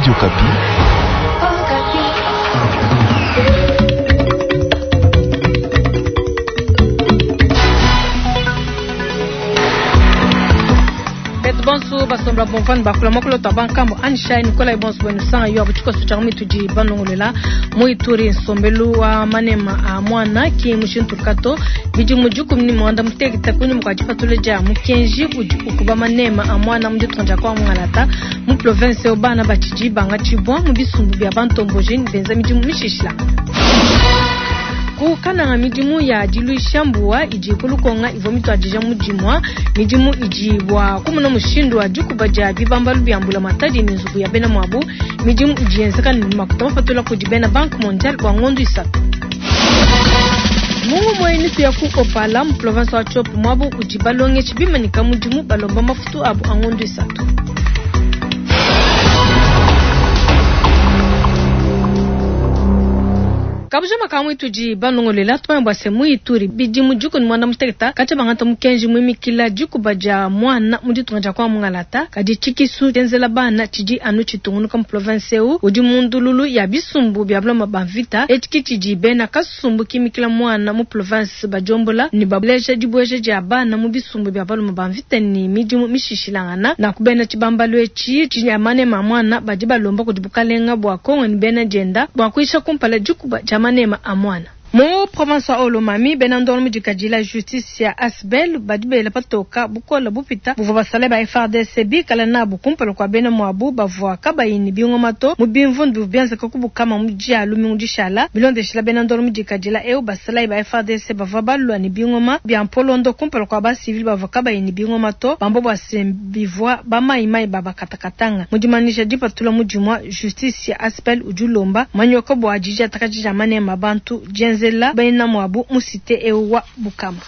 Radio Okapi. Betu bonso basomba bomvani bakula mokolo twa bankambo anishai nikola bonso bwenu sanga yo abuchikoso cha mitudi banongolela mu Ituri nsombelu wa manema a mwana ki mushintukato bidimu dikumi ni mwanda mutekete kunyuma kua dipatula dia mukenji udi ukuba manema a mwana mu ditunga dia kua Mungalata mu province eu bana batshidi bangatshibua mu bisumbu bia bantomboji ne benza midimu mishishilangana. Ku Kananga midimu ya diluisha mbuwa idi ku Lukonga ivua mituadija mu dimua. Midimu idi bua kumona mushindu wa dikuba dia bibambalu bia mbulamatadi ne nzubu ya bena muabu. Midimu idi yenzeka ne makuta mapatula kudi bena Banque Mondiale bua ngondo isatu. Mu ngumu eyi tuya ku Opala mu province wa Tshopo muabu udi balongeshi bimanyika mudimu balomba mafutu abu a ngondo isatu. Kabujama kamwe tudi banongolela tumanye bua se mu Ituri bidimu dikumi ne muanda mutekete katshia bangata mukenji muimikila dikuba dia mwana mu ditunga dia kua Mungalata kadi tshikisu tshienzela bana tshidi anu tshitungunuka mu province eu udi mu ndululu ya bisumbu bia bulama ba mvita etshi ki tshidi bena kasumbu kimikila mwana mu province badiombola ne baleja dibueja dia bana mu bisumbu bia baluma ba mvita ne midimu mishishilangana na kubena tshibambalu etshi tshia manema mwana badi balomba kudi bukalenga bua Kongo ne bena dienda bua kuisha kumpala dikuba dia manema a mwana. Mu province wa Haut-Lomami, bena ndongo mu dikadila justice ya Asbel badi bela patoka bukola bupita buvua basale ba FARDC bikala nabu kumpala kua bena muabu bavua kabayi ne bingoma to mu bimvundu bienzeka ku Bukama mu dia lumingu dishala. Bilondeshila bena ndongo mu dikadila eu basalayi ba FARDC bavua balua ne bingoma bia mpolondo kumpala kua ba civil bavua kabayi ne bingoma to bamba bua se bivua ba mayi-mayi ba bakatakatanga. Mu dimanyisha dipatula mu dimua justice ya Asbel udi ulomba manyoka bua didiatakaji dia manema bantu dienzela bena muabu mu cité eu wa Bukama.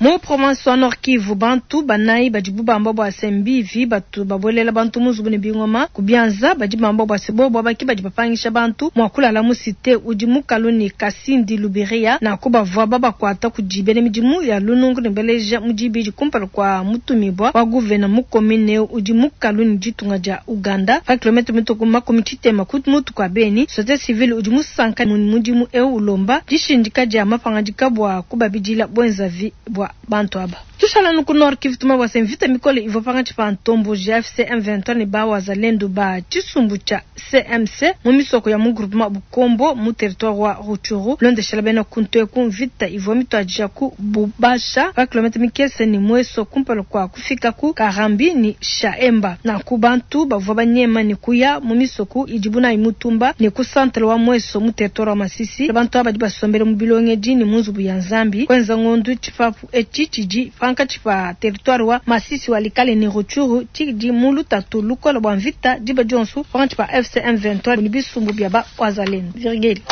Mu province wa Nord Kivu, bantu banayi badi bubamba bua se mbivi batu babuelela bantu mu nzubu ne bingoma ku bianza badi bamba bua se bobo abaki badi bapangisha bantu mua kulala mu cité udi mukalu ne Kasindi Luberia na ku bavua babakuata kudi bena midimu ya lunungu ne beleja mu dibidi kumpala kua mutumibua wa gouverneur mu commune udi mukalu ne ditunga dia Uganda pa kilomètre mituku makumi tshitema ku mutu kua Beni. Société civile udi musanka mu mudimu eu ulomba dishindika dia mapangadika bua kubabidila bwenzavi bua bantu aba. Tushala nuku Nord Kivu tuma bua se mvita mikole ivua pangatshi pa ntomboji ya FC M23 ne ba wazalendo ba tshisumbu tshia CMC mu misoko ya mu groupement Bukombo mu territoire wa Rutshuru. Londeshela bena kuntu eku mvita ivua mituadija ku Bubasha pa kilomètre mikese ne Mweso kumpala kua kufika ku Karambi ni Shaemba. Na ku bantu bavua banyema ne kuya mu misoko idibu nayi mutumba ne ku centre wa Mweso mu territoire wa Masisi. Bantu aba badi basombele mu bilongedi ne mu nzubu ya Nzambi kwenza ngondu tshipapu etshi tshidi pankatshi pa territoire wa Masisi wa Likale ne Rutshuru tshidi mu lutatu lukola bua mvita diba dionso pankatshi pa FC M23 ne bisumbu bia ba wazalendo. Virgile.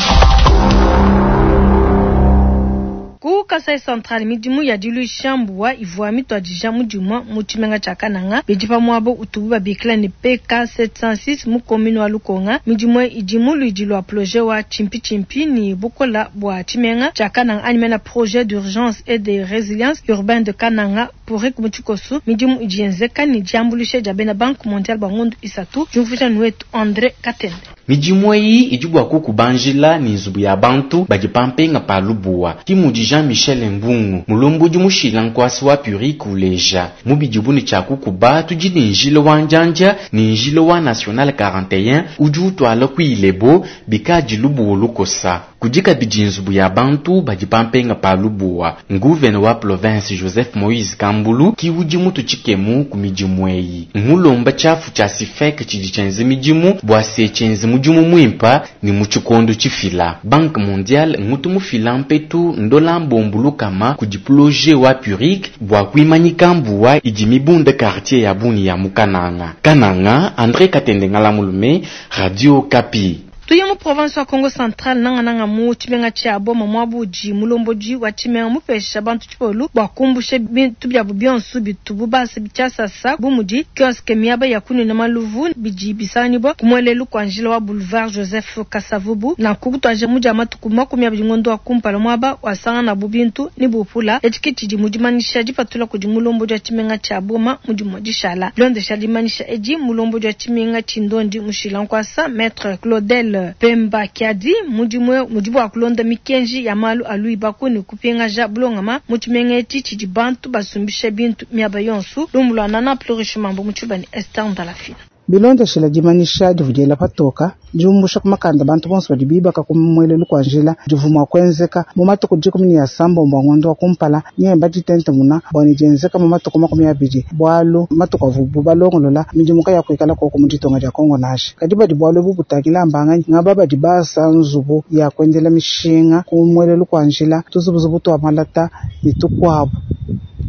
Ku Kasai Central midimu ya diluisha mbuwa ivua mituadija mu dimua mu tshimenga tshia Kananga bidi pa muaba utubu babikila ne PK 706 mu commune wa Lukonga. Midimu idi mu luidi lua projet wa Tshimpi-Tshimpi ne bukola bua tshimenga tshia Kananga anyi mena projet d'urgence et de résilience urbaine de Kananga pour mu tshikoso. Midimu idi yenzeka ne diambuluisha dia bena Banque Mondiale bua ngondo isatu. Diumvuija wetu André Katende. Midimu eyi idi bua kukubanjila ne nzubu ya bantu badi pampenga pa lubuwa. Ki mudi Jean-Michel Mbungu mulombodi mushila nkwasi wa PURIC uleja mu bidibu ne tshia kukuba tudi ne njila wa njanja ne njila wa National 41 udi utwala ku Ilebo bikadi lubuwa lukosa. Kudi kabidi nzubu ya bantu badi pampenga pa lubuwa. Nguvene wa province Joseph Moïse Kambulu ki udi mutu tshikemu ku midimu eyi. Mulomba tshiafu tshia Sifek tshidi tshienze midimu bua se tshienze mudimu muimpa ne mu tshikondo tshifila. Banque Mondiale ngutu mufila mpetu ndola mbombu lukama kudi projet wa PURIC bua kuimanyika mbuwa idi mibunda quartier ya Buni ya Mukananga. Kananga, André Katende Ngalamulume, Radio Okapi. Tuye mu province wa Kongo Central, nangananga mu tshimenga tshia Boma, muaba udi mulombodi wa tshimenga mupesha bantu tshipolu bua kumbusha bintu biabu bionso bitubu basa tshiasasa, bu mudi kioske, miaba ya kunuina maluvu bidi bisanganyibua ku muelelu kua njila wa boulevard Joseph Kasavubu. Nanku kutuadija mu dia matuku 20 ngondo wa kumpala, muaba wasanganabu bintu ne bupula. Etshi ke tshidi mu dimanyisha dipatula kudi mulombodi wa tshimenga tshia Boma mu dimue dishala. Bilondeshila dimanyisha edi, mulombodi wa tshimenga tshindondi mushila nkuasa Maître Claudel Pemba Kiadi mudimu mudi bua kulonda mikenji ya malu a luibaku ne kupingaja bulongama mu tshimenga etshi tshidi bantu basumbisha bintu miaba yonso. Lumu lua Nana Plurish Mambo mu tshiluba ne Esther Ndalafina. Bilondeshela dimanyisha divua diela patoka diumbusha ku makanda bantu bonso badi bibaka ku muelelu kua njila divua mua kuenzeka mu matuku 19 a ngondo wa kumpala nyemba ditentemuna bua ne dienzeka mu matuku 20, bualu matuku avubu balongolola midimu ya kuikala koko mu ditonga dia Kongo nansha. Kadi badi bualu ebu butangila mbanganyi ngaba badi basa nzubu ya kuendela mishinga ku muelelu kua njila, tuzubuzubu tua malata ne tukuabu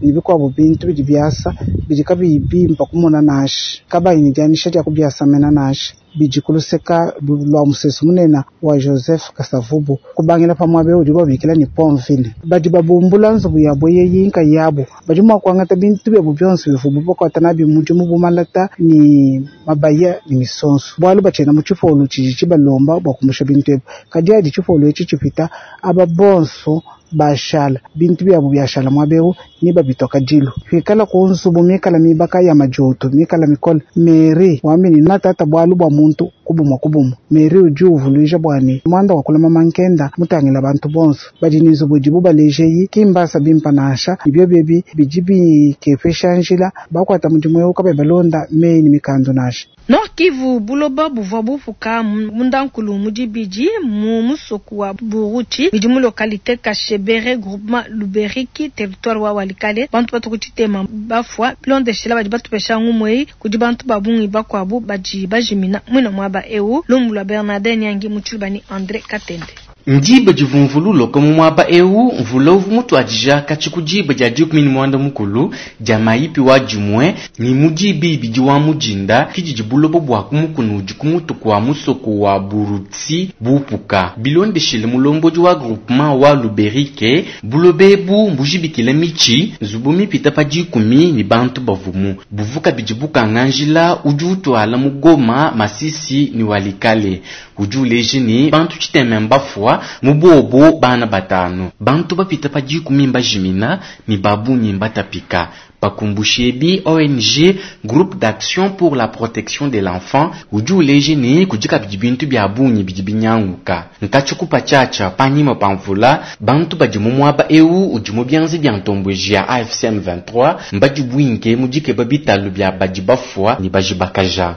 ne bikuabu bintu bidi biasa bidi kabiyi bimpa kumona nansha, kabayi ne dianyisha dia kubiasamena nansha, bidi kuluseka lua musesu munene wa Joseph Kasavubu kubangila pa muaba udi babikila ne Pontville. Badi babumbula nzubu yabo yeyi nkayabu, badi mua kuangata bintu biabu bionso bivubu bakuata nabi mudimu bu malata ne mabaya ne misonso, bualu batshiena mu tshipolu tshidi tshibalomba bua kumbusha bintu ebi. Kadi adi tshipolu etshi tshipita, aba bonso bashala bintu biabu biashala muaba eu ni babitoka dilu kwikala ku nzubu mikala mibaka ya majoto mikala mikole. Mary wamini natata bualu bua muntu kubumwa kubumwa. Mary udi uvuluija bua ne muanda wa kulama mankenda mutangila bantu bonso badi ne nzubu idibu balejeyi kimbasa bimpa nansha ibyo biebi bidi bikepesha njila bakuata mudimu eu kabayi balonda meyi ne mikando nansha. Nord Kivu, buloba buvua bupuka mundankulu mu dibidi mu musoku wa Buruti bidi mu localité Kashebere, groupement Luberiki, territoire wa Walikale. Bantu batu tshitema bafua bilondeshela badi batupesha ngumu eyi kudi bantu ba bungi bakuabu badi bajimina mwina muaba eu. Lumu lua Bernardin Nyangi mu tshiluba ne André Katende. Ndiba divumvululoka mu muaba eu, mvula uvu mutuadija katshi ku diba dia 19 dia mayipi wa dimue ni mu diba ibidi wa mudinda kididi buloba bua kumukuna udi ku mutu kua musoko wa Burutsi bupuka. Bilondeshile mulombodi wa groupement wa Luberike, buloba ebu mbujibikila mitshi nzubu mipita pa 10 ni bantu bavumu buvuka bidi bukanga njila udi utwala mu Goma, Masisi ni Walikale. Udi uleja ni bantu tshitema mbafua mu bobo bana batanu, bantu bapita pa 10 mbajimina ni babunyi mbatapika. Bakumbushebi ONG Groupe d'Action pour la Protection de l'Enfant udi uleja ni kudi kabidi bintu bia bungi bidi binyanguka nkatshukupa tshiatshia panyima pa mvula. Bantu badi mu muaba eu udi mu bianza bia ntomboji ya AFC M23 mbadi bwinke mu dikeba bitalu bia badi bafua ni bajibakaja.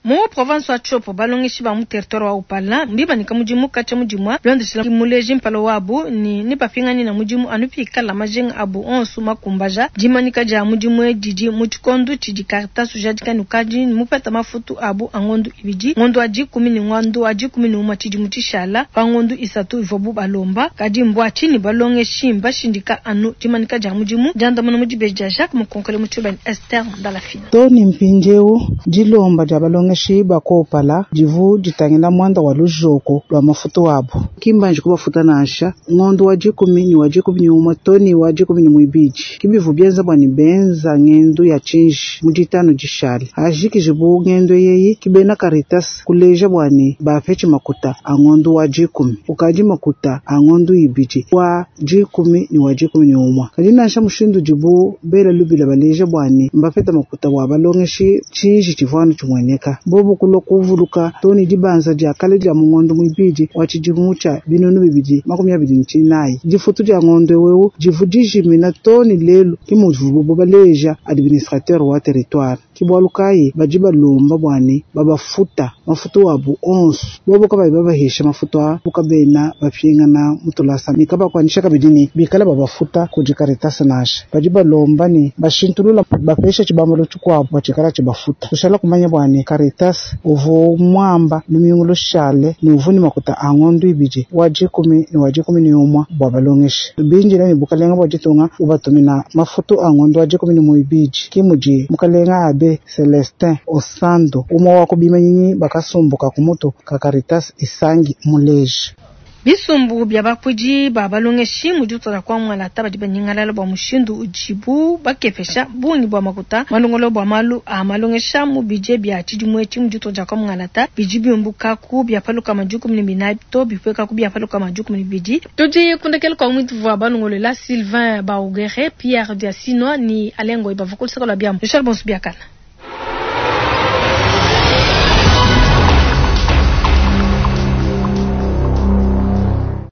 Mu province wa Tshopo, balongeshi ba mu territoire wa Upala mbibanyika mudimu katshia mudimu bilondeshela muleji mpala wabu ni nibapingani na mudimu anu pikala majinga abu onso makumbaja. Dimanyika dia mudimu didi mu tshikondo tshidi Caritas ujadika ne ukadi mupeta mafutu abu a ngondu ibidi, ngondu wa 10 ne ngondu wa 11 tshidi tshishala pa ngondu 3 ivuabu balomba. Kadi mbua tshinyi balongeshi mbashindika anu dimanyika dia mudimu? Diandamuna mu dibeji dia Jacques Mukonkole mu tshiluba ne Esther Ndalafina. Tony mpindieu dilomba dia balongeshi bakopala divu ditangila mwanda wa lujoko lwa mafutu wabo kimbanji kubafuta nansha ngondo wa 10 ni wa 11 toni wa 12 kibivu byenza bwa ni benza ngendo ya chinji mu ditano dishale ajikijibu ngendo yeyi kibena Caritas kuleja bwa ni bapetshi makuta a ngondo wa 10 ukadi makuta a ngondo ibidi wa 10 ni wa 11 kadi nansha mushindu dibu bela lubila baleja bwa ni mbapeta makuta wa balongeshi chinji chivwanu chimweneka bobo kulo kuvuluka toni dibanza dia kale dia mungondo mwibidi wa tshidimu tshia 2024 difutu dia ngondo wewu divu dijimina toni lelu ki muvubu baleja administrateur wa territoire ki bwalu kayi badi balomba bwani babafuta mafutu wabu onso bobo kabayi babahesha mafutu a bukabena bapingana mutulasa ni kabakwanisha kabidi ni bikala babafuta kudi Caritas nansha badi balomba ni bashintulula bapesha tshibambalo tshikuabu batshikala tshibafuta tushala kumanya bwani Caritas. Caritas uvu muamba lumingu lushale ne uvu ne makuta a ngondu ibidi wa dikumi ne wa 11 bua balongeshi. Bindila ne bukalenga bua ditunga ubatumina mafutu a ngondu wa 12 ki mudi mukalenga abe Celestin Osando umwe wa kubimanyinyi bakasumbuka kumutu ka Caritas Isangi muleji. Bisumbu bya bakuidi ba balongeshi mu ditunga kwa mwalata badi banyingalala bua mushindu udibu bakepesha bungi bua makuta malongolo bua malu a malongesha mu bidie bia tshidimu etshi mu ditunga kwa mwalata bidi biumbuka ku bia paluka majukumi ne binayi to bipueka ku bia paluka majukumi ne bibidi. Tudi kundekela kwa mwitu wa balongolela Sylvain Baugere, Pierre Diasino ni Alengo ibavukulisaka lwa biamu. Richard Bonsu biakana.